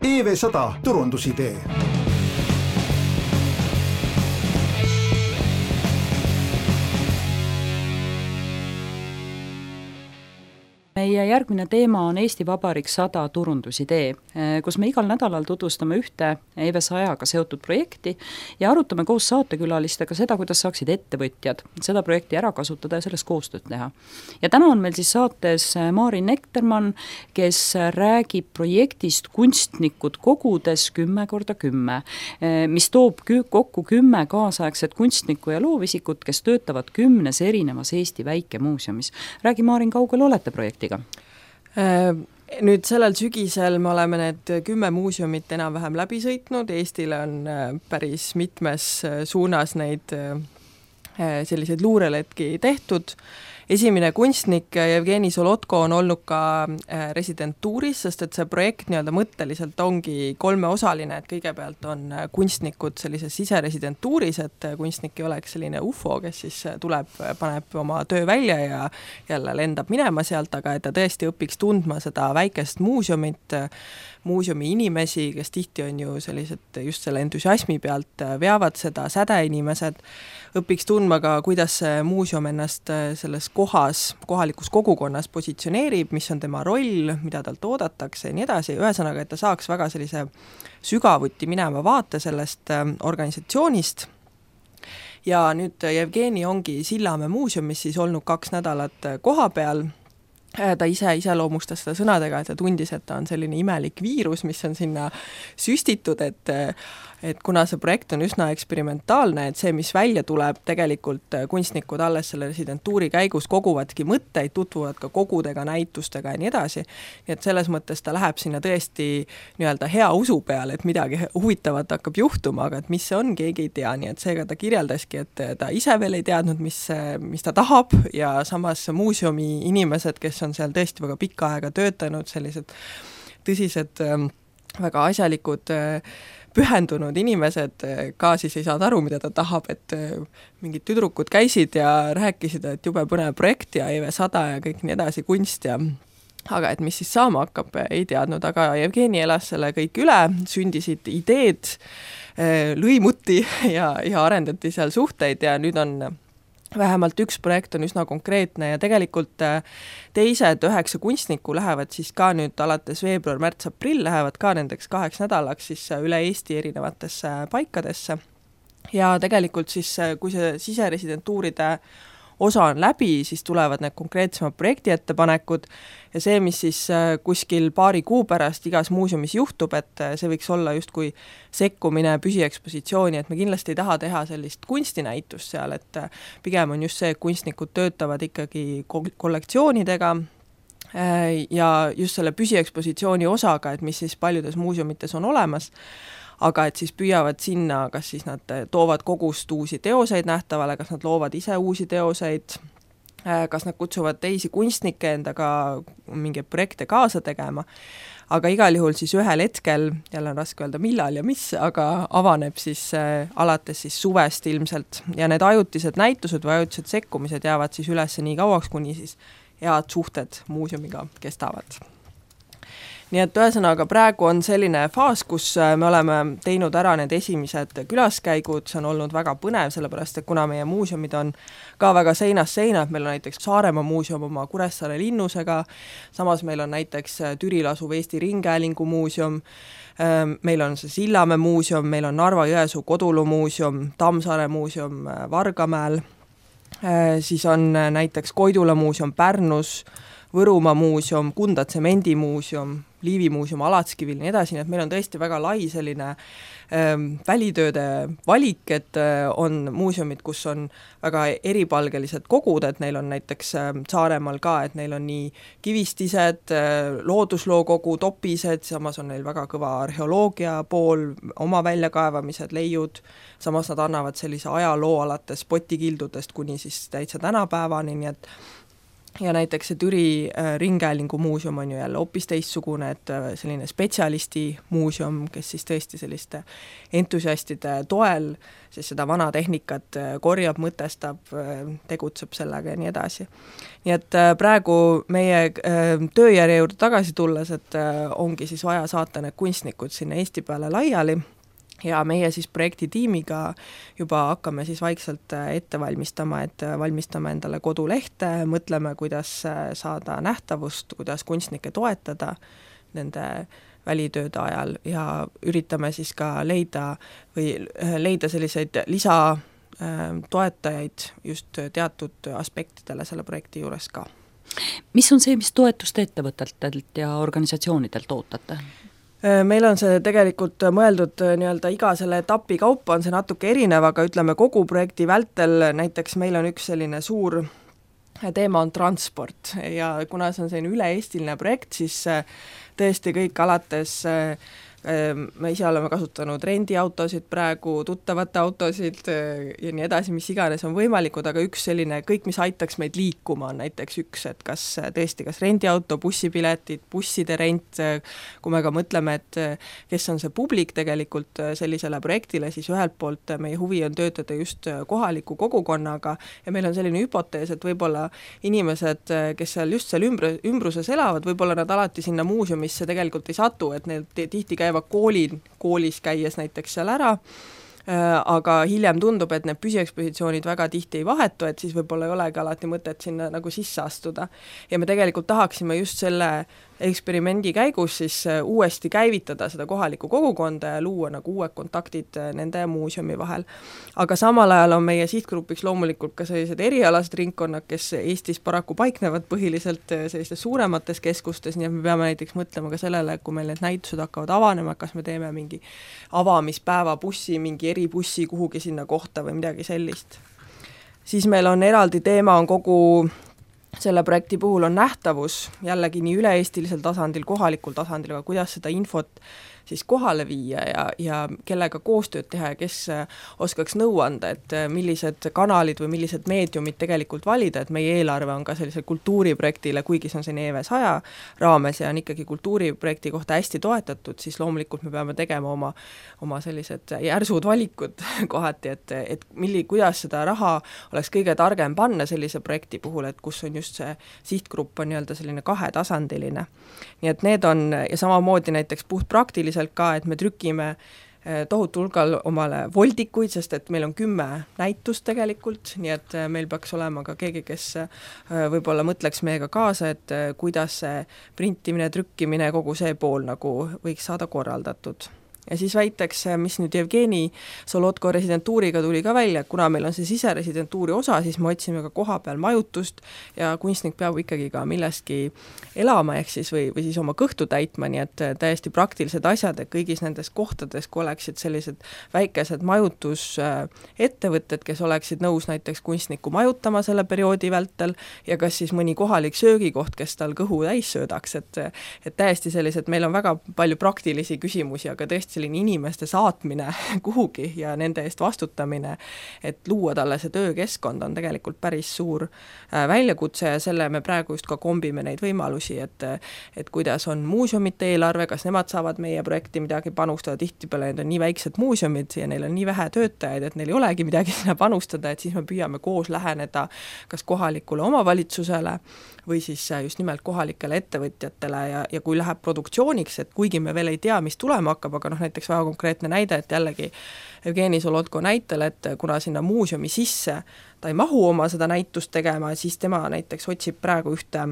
EV100 turundusidee. Meie järgmine teema on Eesti Vabariik 100 turundusidee, kus me igal nädalal tutvustame ühte EV100-ga seotud projekti ja arutame koos saatekülalistega seda, kuidas saaksid ettevõtjad seda projekti ära kasutada ja sellest koostööd teha. Ja täna on meil siis saates Maarin Nektermann, kes räägib projektist Kunstnikud kogudes 10x10, mis toob kokku 10 kaasaegset kunstnikku ja loovisikut, kes töötavad 10 erinevas Eesti väikemuuseumis. Räägi, Maarin, kaugel olete projektiga? Nüüd sellel sügisel me oleme need 10 muuseumit enam-vähem läbi sõitnud. Eestile on päris mitmes suunas neid selliseid luureletki tehtud. Esimene kunstnik Jevgeni Solotko on olnud ka residentuuris, sest et see projekt nii-öelda mõtteliselt ongi 3-osaline, et kõigepealt on kunstnikud sellises siseresidentuuris, et kunstnik ei oleks selline UFO, kes siis tuleb, paneb oma töö välja ja jälle lendab minema sealt, aga et ta tõesti õpiks tundma seda väikest muuseumit, muuseumi inimesi, kes tihti on ju sellised just selle entusiasmi pealt veavad seda, sädeinimesed, õpiks tundma ka, kuidas see muuseum ennast selles kohas, kohalikus kogukonnas positsioneerib, mis on tema roll, mida talt oodatakse ja nii edasi. Ühesõnaga, et ta saaks väga sellise sügavuti minema vaate sellest organisatsioonist. Ja nüüd Jevgeni ongi Sillamäe muuseumis siis olnud 2 nädalat koha peal. Ta ise loomustas seda sõnadega, et ta tundis, et ta on selline imelik viirus, mis on sinna süstitud, et kuna see projekt on üsna eksperimentaalne, et see, mis välja tuleb, tegelikult kunstnikud alles selle residentuuri käigus koguvadki mõtteid, tutvuvad ka kogudega, näitustega ja nii edasi. Nii et selles mõttes ta läheb sinna tõesti nii-öelda hea usu peale, et midagi huvitavat hakkab juhtuma, aga et mis see on, keegi ei tea. Nii et seega ta kirjeldaski, et ta ise veel ei teadnud, mis ta tahab ja samas muuseumi inimesed, kes on seal tõesti väga pikka aega töötanud, sellised tõsised, väga asjalikud pühendunud inimesed ka siis ei saanud aru, mida ta tahab, et mingid tüdrukud käisid ja rääkisid, et jube põnev projekt ja EV100 ja kõik nii edasi, kunst ja aga et mis siis saama hakkab, ei teadnud, aga Jevgeni elas selle kõik üle, sündisid ideed, lõimuti ja arendati seal suhteid ja nüüd on vähemalt üks projekt on üsna konkreetne ja tegelikult teised 9 kunstnikku lähevad siis ka nüüd alates veebruar, märts, aprill lähevad ka nendeks 2 nädalaks siis üle Eesti erinevatesse paikadesse. Ja tegelikult siis, kui see siseresidentuuride osa on läbi, siis tulevad need konkreetsemad projekti ettepanekud ja see, mis siis kuskil paari kuu pärast igas muuseumis juhtub, et see võiks olla justkui sekkumine püsiekspositsiooni, et me kindlasti ei taha teha sellist kunstinäitust seal, et pigem on just see, et kunstnikud töötavad ikkagi kollektsioonidega ja just selle püsiekspositsiooni osaga, et mis siis paljudes muuseumites on olemas, aga et siis püüavad sinna, kas siis nad toovad kogust uusi teoseid nähtavale, kas nad loovad ise uusi teoseid, kas nad kutsuvad teisi kunstnikke endaga mingeid projekte kaasa tegema, aga igal juhul siis ühel hetkel, jälle on raske öelda millal ja mis, aga avaneb siis alates siis suvest ilmselt ja need ajutised näitused või ajutised sekkumised jäävad siis üles nii kauaks, kuni siis head suhted muuseumiga kestavad. Nii et ühesõnaga praegu on selline faas, kus me oleme teinud ära need esimesed külaskäigud, see on olnud väga põnev, sellepärast et kuna meie muuseumid on ka väga seinast seina, et meil on näiteks Saaremaa muuseum oma Kuressaare linnusega, samas meil on näiteks Türil asuv Eesti Ringhäälingu muuseum, meil on see Sillamäe muuseum, meil on Narva-Jõesuu Kodulu muuseum, Tammsaare muuseum Vargamäel, siis on näiteks Koidula muuseum Pärnus, Võrumaa muuseum, Kunda tsemendimuuseum, Liivi muuseum Alatskivil, nii edasi, nii et meil on tõesti väga lai selline välitööde valik, et on muuseumid, kus on väga eripalgelised kogud, et neil on näiteks Saaremaal ka, et neil on nii kivistised, looduslookogu, topised, samas on neil väga kõva arheoloogia pool, oma väljakaevamised, leiud, samas nad annavad sellise ajaloo alates potikildudest kuni siis täitsa tänapäevani, nii et ja näiteks see Türi Ringhäälingu muuseum on ju jälle hoopis teistsugune, et selline spetsialisti muuseum, kes siis tõesti selliste entusiastide toel siis seda vana tehnikat korjab, mõtestab, tegutseb sellega ja nii edasi. Nii et praegu meie tööjärje juurde tagasi tulles, et ongi siis vaja saata need kunstnikud sinna Eesti peale laiali, ja meie siis projektitiimiga juba hakkame siis vaikselt ette valmistama, et valmistame endale kodulehte, mõtleme, kuidas saada nähtavust, kuidas kunstnikke toetada nende välitööde ajal ja üritame siis ka leida selliseid lisatoetajaid just teatud aspektidele selle projekti juures ka. Mis on see, mis toetust ettevõtetelt ja organisatsioonidelt ootate? Meil on see tegelikult mõeldud nii-öelda iga selle etapi kaupa on see natuke erinev, aga ütleme kogu projekti vältel näiteks meil on üks selline suur teema on transport ja kuna see on selline üle-eestiline projekt, siis tõesti kõik alates me ise oleme kasutanud rendiautosid praegu, tuttavate autosid ja nii edasi, mis iganes on võimalikud, aga üks selline, kõik mis aitaks meid liikuma on näiteks üks, et kas rendiauto, bussipiletid, busside rent, kui me ka mõtleme, et kes on see publik tegelikult sellisele projektile, siis ühelt poolt meie huvi on töötada just kohaliku kogukonnaga ja meil on selline hüpotees, et võib-olla inimesed, kes seal ümbruses elavad, võib-olla nad alati sinna muuseumisse tegelikult ei satu, et neil tihti käivad koolis käies näiteks seal ära, aga hiljem tundub, et need püsiekspositsioonid väga tihti ei vahetu, et siis võib-olla ei olegi alati mõtet sinna nagu sisse astuda. Ja me tegelikult tahaksime just selle eksperimendi käigus siis uuesti käivitada seda kohalikku kogukonda ja luua nagu uued kontaktid nende muuseumi vahel. Aga samal ajal on meie sihtgrupiks loomulikult ka sellised erialased ringkonnad, kes Eestis paraku paiknevad põhiliselt sellistes suuremates keskustes, nii et me peame näiteks mõtlema ka sellele, kui meil need näitused hakkavad avanema, kas me teeme mingi avamispäeva bussi, mingi eribussi kuhugi sinna kohta või midagi sellist. Siis meil on eraldi teema, on kogu selle projekti puhul on nähtavus jällegi nii üle-eestilisel tasandil, kohalikul tasandil, aga kuidas seda infot siis kohale viia ja kellega koostööd teha ja kes oskaks nõu anda, et millised kanalid või millised meediumid tegelikult valida, et meie eelarve on ka sellise kultuuriprojektile, kuigi see on selline EV100 raames ja on ikkagi kultuuriprojekti kohta hästi toetatud, siis loomulikult me peame tegema oma sellised järsud valikud kohati, et kuidas seda raha oleks kõige targem panna sellise projekti puhul, et kus on just see sihtgrupp on nii-öelda selline kahetasandiline. Nii et need on, ja samamoodi näiteks puhtpraktiliselt ka, et me trükime tohutu hulgal omale voldikuid, sest et meil on 10 näitust tegelikult, nii et meil peaks olema ka keegi, kes võib-olla mõtleks meiega kaasa, et kuidas see printimine, trükkimine, kogu see pool nagu võiks saada korraldatud. Ja siis väiteks, mis nüüd Jevgeni Solotko residentuuriga tuli ka välja, kuna meil on see siseresidentuuri osa, siis me otsime ka koha peal majutust ja kunstnik peab ikkagi ka millestki elama, ehk siis või siis oma kõhtu täitma, nii et täiesti praktilised asjad, et kõigis nendes kohtades, kui oleksid sellised väikesed majutusettevõtted, kes oleksid nõus näiteks kunstnikku majutama selle perioodi vältel ja kas siis mõni kohalik söögikoht, kes tal kõhu täis söödaks, et täiesti sellised, meil on väga palju praktilisi küsimusi, aga tõesti selline inimeste saatmine kuhugi ja nende eest vastutamine, et luua talle see töökeskkond on tegelikult päris suur väljakutse ja selle me praegu just ka kombime neid võimalusi, et kuidas on muuseumite eelarve, kas nemad saavad meie projekti midagi panustada, tihtipeale need on nii väiksed muuseumid ja neil on nii vähe töötajaid, et neil ei olegi midagi sinna panustada, et siis me püüame koos läheneda kas kohalikule omavalitsusele või siis just nimelt kohalikele ettevõtjatele ja kui läheb produktsiooniks, et kuigi me veel ei tea, mis tulema hakkab, aga näiteks väga konkreetne näide, et jällegi Jevgeni Solotko näitel, et kuna sinna muuseumi sisse ta ei mahu oma seda näitust tegema, siis tema näiteks otsib praegu ühte,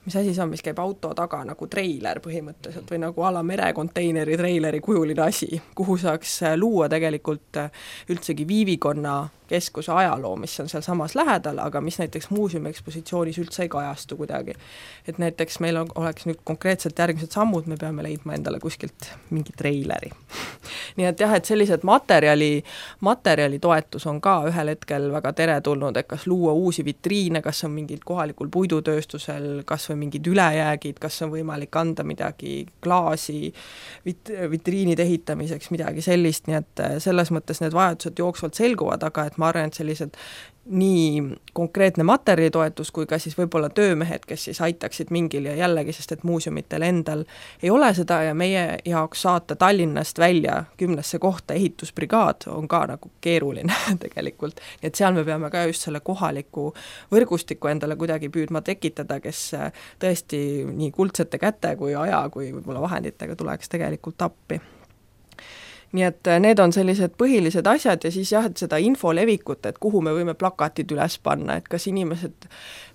mis asi see on, mis käib auto taga nagu treiler põhimõtteliselt või nagu ala merekonteineri treileri kujuline asi, kuhu saaks luua tegelikult üldsegi viivikonna keskuse ajaloo, mis on seal samas lähedal, aga mis näiteks muuseumi ekspositsioonis üldse ei kajastu kuidagi. Et näiteks meil oleks nüüd konkreetselt järgmised sammud, me peame leidma endale kuskilt mingi treileri. Nii et jah, et sellised materjali toetus on ka ühel hetkel väga teretulnud, et kas luua uusi vitriine, kas on mingil kohalikul puidutööstusel, kas kas või mingid ülejäägid, kas on võimalik anda midagi klaasi vitriinide ehitamiseks, midagi sellist, nii et selles mõttes need vajadused jooksvalt selguvad, aga et ma arvan, et sellised nii konkreetne materjalitoetus kui ka siis võib-olla töömehed, kes siis aitaksid mingil ja jällegi, sest et muuseumitel endal ei ole seda ja meie jaoks saata Tallinnast välja 10 kohta ehitusbrigaad on ka nagu keeruline tegelikult. Nii et seal me peame ka just selle kohaliku võrgustiku endale kuidagi püüdma tekitada, kes tõesti nii kuldsete käte kui aja kui võib-olla vahenditega tuleks tegelikult appi. Nii et need on sellised põhilised asjad ja siis jah, et seda info levikut, et kuhu me võime plakatid üles panna, et kas inimesed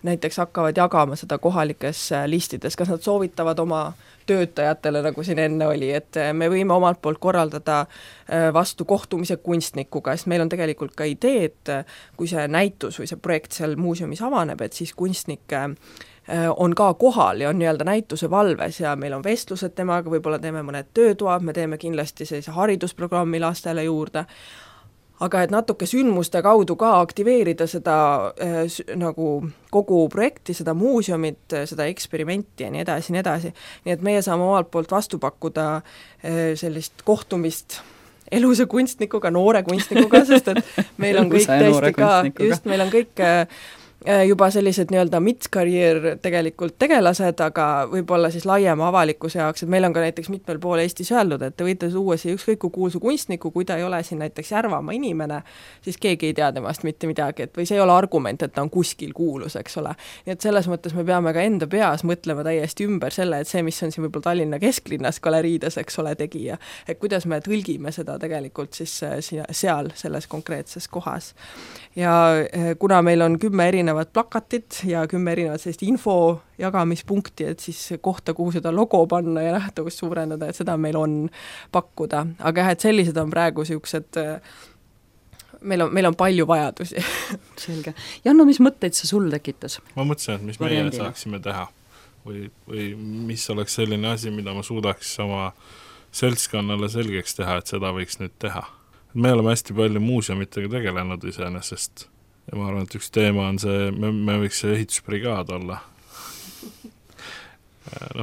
näiteks hakkavad jagama seda kohalikes listides, kas nad soovitavad oma töötajatele, nagu siin enne oli, et me võime omalt poolt korraldada vastu kohtumise kunstnikuga, sest meil on tegelikult ka idee, et kui see näitus või see projekt seal muuseumis avaneb, et siis kunstnik on ka kohal ja on nii-öelda näituse valves ja meil on vestlused temaga, võib-olla teeme mõned töötoad, me teeme kindlasti sellise haridusprogrammi lastele juurde, aga et natuke sündmuste kaudu ka aktiveerida seda nagu kogu projekti, seda muuseumit, seda eksperimenti ja nii edasi. Nii et meie saame omalt poolt vastu pakkuda sellist kohtumist elusa kunstnikuga, noore kunstnikuga, sest et meil on kõik tõesti ka, just meil on kõik juba sellised nii-öelda mid-career tegelikult tegelased, aga võib-olla siis laiema avalikkuse jaoks, et meil on ka näiteks mitmel pool Eestis öeldud, et te võite tuua siia ükskõik kui kuulsu kunstniku, kui ta ei ole siin näiteks Järvamaa inimene, siis keegi ei tea temast mitte midagi, et või see ei ole argument, et ta on kuskil kuulus, eks ole. Nii et selles mõttes me peame ka enda peas mõtlema täiesti ümber selle, et see, mis on siin võib-olla Tallinna kesklinnas galeriides, eks ole, tegija, et kuidas me tõlgime seda tegelikult siis seal, selles konkreetses kohas. Ja kuna meil on 10 erinevat plakatit ja 10 erinevat sellist info jagamispunkti, et siis kohta, kuhu seda logo panna ja nähtavust suurendada, et seda meil on pakkuda. Aga jah, et sellised on praegu niisugused, meil on palju vajadusi. Selge. Janno, mis mõtteid see sul tekitas? Ma mõtlesin, et mis meie saaksime teha või mis oleks selline asi, mida ma suudaks oma seltskonnale selgeks teha, et seda võiks nüüd teha. Me oleme hästi palju muuseumitega tegelenud iseenesest ja ma arvan, et üks teema on see, me võiks see ehitusbrigaad olla.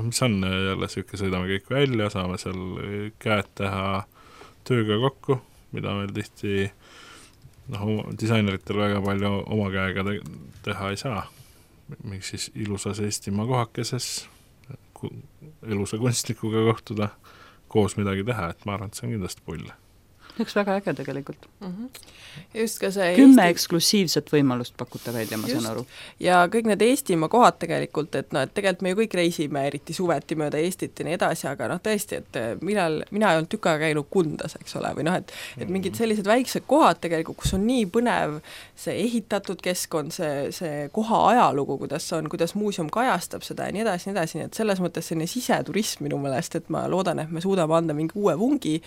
Mis on jälle selline, sõidame kõik välja, saame seal käed teha tööga kokku, mida meil tihti disaineritel väga palju oma käega teha ei saa. Miks siis ilusas Eestimaa kohakeses elusa kunstnikuga kohtuda, koos midagi teha, et ma arvan, et see on kindlasti pull. Üks väga äge tegelikult. Just ka see 10 eksklusiivset võimalust pakute välja, ma saan aru. Ja kõik need Eestimaa kohad tegelikult, et tegelikult me ju kõik reisime eriti suveti mööda Eestit ja nii edasi, aga tõesti, et mina ei olnud tükk aega käinud Kundas, eks ole, või et mingid sellised väiksed kohad tegelikult, kus on nii põnev see ehitatud keskkond, see koha ajalugu, kuidas muuseum kajastab seda ja nii edasi, nii et selles mõttes selline siseturism minu meelest, et ma loodan, et me suudame anda mingi uue vungi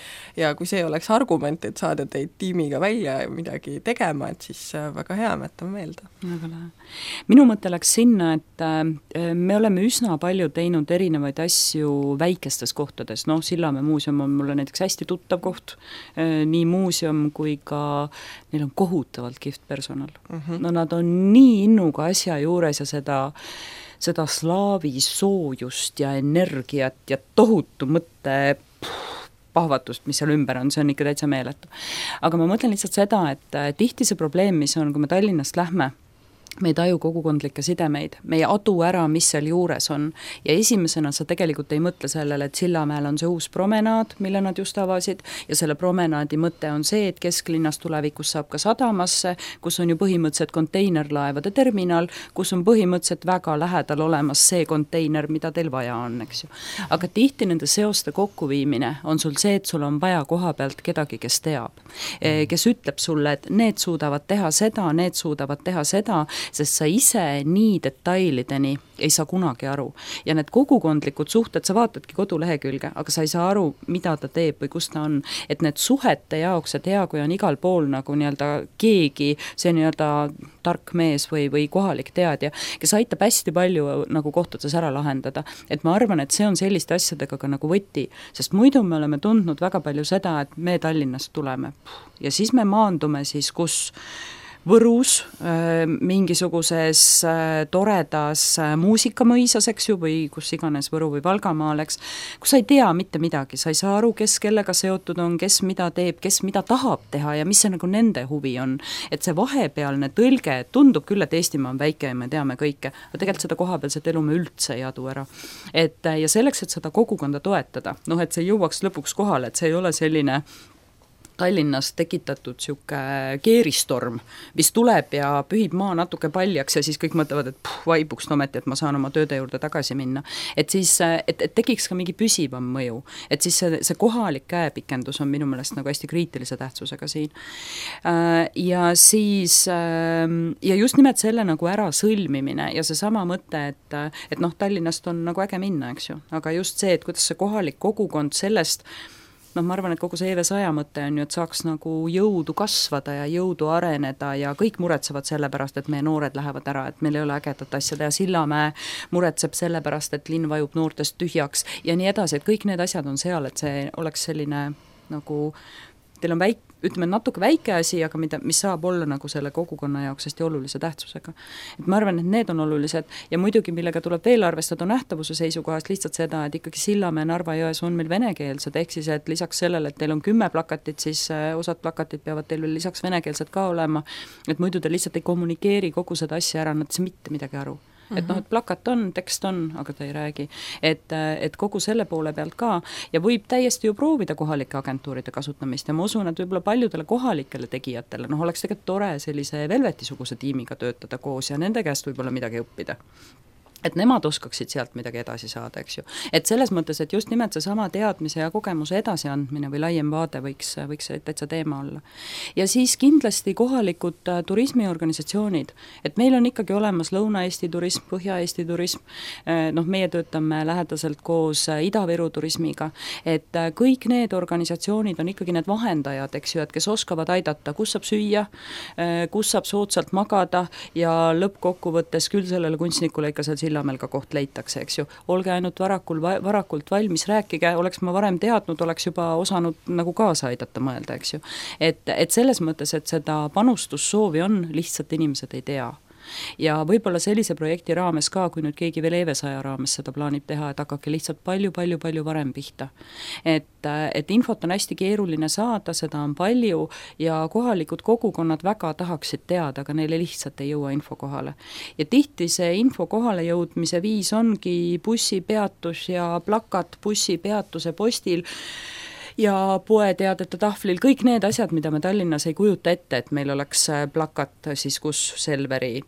ja kui see oleks argument, et saada teid tiimiga välja ja midagi tegema, et siis väga hea, jätame meelde. Väga lähe. Minu mõte läks sinna, et me oleme üsna palju teinud erinevaid asju väikestes kohtades, Sillamäe muuseum on mulle näiteks hästi tuttav koht, nii muuseum kui ka neil on kohutavalt kihvt personal. Nad on nii innuga asja juures ja seda slaavi soojust ja energiat ja tohutu mõtte pahvatust, mis seal ümber on, see on ikka täitsa meeletu. Aga ma mõtlen lihtsalt seda, et tihti see probleem, mis on, kui me Tallinnast lähme, me ei taju kogukondlikke sidemeid, me ei adu ära, mis seal juures on ja esimesena sa tegelikult ei mõtle sellele, et Sillamäel on see uus promenaad, mille nad just avasid ja selle promenaadi mõte on see, et kesklinnas tulevikus saab ka sadamasse, kus on ju põhimõtteliselt konteinerlaevade terminal, kus on põhimõtteliselt väga lähedal olemas see konteiner, mida teil vaja on, eks ju. Aga tihti nende seoste kokkuviimine on sul see, et sul on vaja koha pealt kedagi, kes teab, kes ütleb sulle, et need suudavad teha seda, need suudavad teha seda, sest sa ise nii detailideni ei saa kunagi aru. Ja need kogukondlikud suhted, sa vaatadki kodulehekülge, aga sa ei saa aru, mida ta teeb või kus ta on. Et need suhete jaoks, et hea, kui on igal pool nagu nii-öelda keegi, see nii-öelda tark mees või kohalik teadja, kes aitab hästi palju nagu kohtades ära lahendada. Et ma arvan, et see on selliste asjadega ka nagu võti, sest muidu me oleme tundnud väga palju seda, et me Tallinnast tuleme ja siis me maandume siis, kus Võrus, mingisuguses toredas muusikamõisas, eks ju, või kus iganes Võru või Valgamaal, eks, kus sa ei tea mitte midagi, sa ei saa aru, kes kellega seotud on, kes mida teeb, kes mida tahab teha ja mis see nagu nende huvi on. Et see vahepealne tõlge tundub küll, et Eestimaa on väike ja me teame kõike, aga tegelikult seda kohapealset elu me üldse ei adu ära. Ja selleks, et seda kogukonda toetada, et see jõuaks lõpuks kohale, et see ei ole selline Tallinnas tekitatud siuke keeristorm, mis tuleb ja pühib maa natuke paljaks ja siis kõik mõtlevad, et vaibuks ometi, et ma saan oma tööde juurde tagasi minna. Et siis, et tekiks ka mingi püsivam mõju. Et siis see kohalik käepikendus on minu meelest nagu hästi kriitilise tähtsusega siin. Ja siis, ja just nimelt selle nagu ära sõlmimine ja see sama mõte, et Tallinnast on nagu äge minna, eks ju. Aga just see, et kuidas see kohalik kogukond sellest ma arvan, et kogu see EV100 mõte on ju, et saaks nagu jõudu kasvada ja jõudu areneda ja kõik muretsevad selle pärast, et meie noored lähevad ära, et meil ei ole ägedat asjada ja Sillamäe muretseb selle pärast, et linn vajub noortest tühjaks ja nii edasi, et kõik need asjad on seal, et see oleks selline nagu, teil on ütleme natuke väike asi, aga mis saab olla nagu selle kogukonna jaoks hästi olulise tähtsusega. Et ma arvan, et need on olulised ja muidugi, millega tuleb veel arvestada nähtavuse seisukohast lihtsalt seda, et ikkagi Sillamäe Narva-Jões on meil venekeelsed, ehk siis, et lisaks sellele, et teil on 10 plakatit, siis osad plakatid peavad teil veel lisaks venekeelsed ka olema, et muidu te lihtsalt ei kommunikeeri kogu seda asja ära, nad ei saa mitte midagi aru. Et et plakat on, tekst on, aga ta ei räägi. Et kogu selle poole pealt ka ja võib täiesti ju proovida kohalike agentuuride kasutamist ja ma usun, et võib-olla paljudele kohalikele tegijatele, oleks tegelikult tore sellise Velveti-suguse tiimiga töötada koos ja nende käest võib-olla midagi õppida. Et nemad oskaksid sealt midagi edasi saada, eks ju. Et selles mõttes, et just nimelt see sama teadmise ja kogemuse edasiandmine või laiem vaade võiks täitsa teema olla. Ja siis kindlasti kohalikud turismiorganisatsioonid, et meil on ikkagi olemas Lõuna-Eesti turism, Põhja-Eesti turism, meie töötame lähedaselt koos Ida-Viru turismiga, et kõik need organisatsioonid on ikkagi need vahendajad, eks ju, et kes oskavad aidata, kus saab süüa, kus saab soodsalt magada ja lõppkokkuvõttes küll sellele kunstnikule ikka seal Sillamäel ka koht leitakse, eks ju. Olge ainult varakult valmis, rääkige, oleks ma varem teadnud, oleks juba osanud nagu kaasa aidata mõelda, eks ju. Et selles mõttes, et seda panustussoovi on, lihtsalt inimesed ei tea. Ja võib-olla sellise projekti raames ka, kui nüüd keegi veel EV100 raames seda plaanib teha, et hakake lihtsalt palju varem pihta. Et infot on hästi keeruline saada, seda on palju ja kohalikud kogukonnad väga tahaksid teada, aga neile lihtsalt ei jõua info kohale. Ja tihti see info kohale jõudmise viis ongi bussipeatus ja plakat bussipeatuse postil ja poeteadete tahvlil, kõik need asjad, mida me Tallinnas ei kujuta ette, et meil oleks plakat siis kus Selveri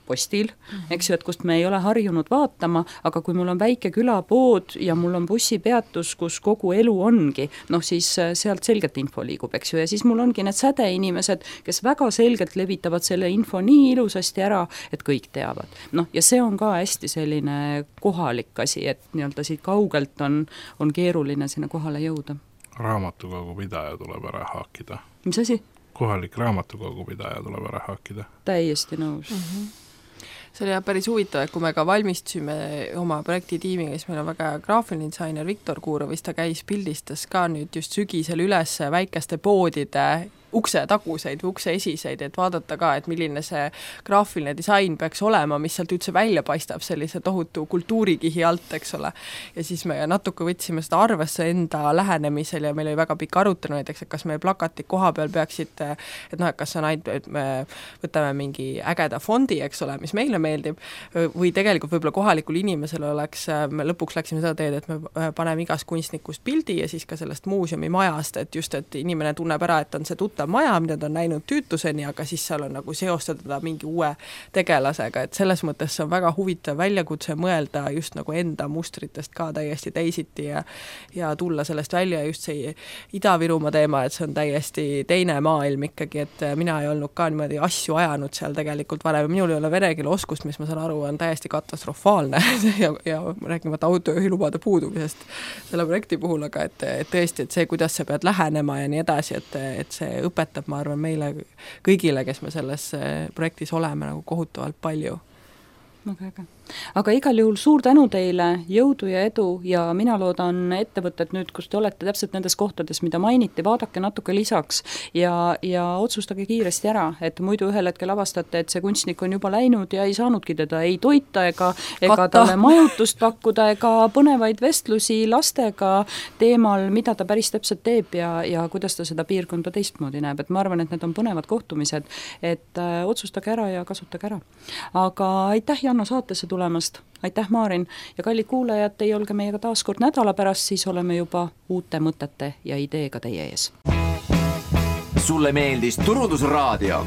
postil, eks ju, et kust me ei ole harjunud vaatama, aga kui mul on väike külapood ja mul on bussipeatus, kus kogu elu ongi, siis sealt selgelt info liigub, eks ju, ja siis mul ongi need sädeinimesed, kes väga selgelt levitavad selle info nii ilusasti ära, et kõik teavad. Ja see on ka hästi selline kohalik asi, et nii-öelda siit kaugelt on keeruline sinna kohale jõuda. Raamatukogu pidaja tuleb ära haakida. Mis asi? Kohalik raamatukogu pidaja tuleb ära haakida. Täiesti nõus. See oli päris huvitav, et kui me ka valmistusime oma projektitiimiga, siis meil on väga graafiline disainer Viktor Kuurovis, ta käis pildistas ka nüüd just sügisel üles väikeste poodide ukse taguseid või ukse esiseid, et vaadata ka, et milline see graafiline disain peaks olema, mis sealt üldse välja paistab sellise tohutu kultuurikihi alt, eks ole. Ja siis me natuke võtsime seda arvesse enda lähenemisel ja meil oli väga pikk arutelu näiteks, et kas meie plakatid koha peal peaksid, et kas on ainult, et me võtame mingi ägeda fondi, eks ole, mis meile meeldib, või tegelikult võib-olla kohalikul inimesel oleks, me lõpuks läksime seda teed, et me paneme igast kunstnikust pildi ja siis ka sellest muuseumi majast, et just, et inimene tunneb ära, et on see tuttav maja, mida ta on näinud tüütuseni, aga siis seal on nagu seostada mingi uue tegelasega, et selles mõttes see on väga huvitav väljakutse mõelda just nagu enda mustritest ka täiesti teisiti ja tulla sellest välja just see Ida-Virumaa teema, et see on täiesti teine maailm ikkagi, et mina ei olnud ka niimoodi asju ajanud seal tegelikult varem, minul ei ole vene keele oskust, mis ma saan aru, on täiesti katastrofaalne ja räägimata autojuhilubade puudumisest selle projekti puhul, aga et tõesti, et see, kuidas sa pead lähenema ja nii edasi, et see õpetab, ma arvan, meile kõigile, kes me selles projektis oleme nagu kohutavalt palju. Väga äge. aga igal juhul suur tänu teile, jõudu ja edu ja mina loodan ettevõtted nüüd, kus te olete täpselt nendes kohtades, mida mainiti, vaadake natuke lisaks ja otsustage kiiresti ära, et muidu ühel hetkel avastate, et see kunstnik on juba läinud ja ei saanudki teda ei toita ega talle majutust pakkuda ega põnevaid vestlusi lastega teemal, mida ta päris täpselt teeb ja kuidas ta seda piirkonda teistmoodi näeb, et ma arvan, et need on põnevad kohtumised, et otsustage ära ja kasutage ära. Aga aitäh, Janno, saatesse tulemast, aitäh, Maarin, ja kallid kuulajad, teie olge meiega taas kord nädala pärast, siis oleme juba uute mõtete ja ideega teie ees. Sulle meeldis Turundusraadio?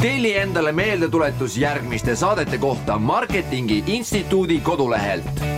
Telli endale meeldetuletus järgmiste saadete kohta Marketingi Instituudi kodulehelt.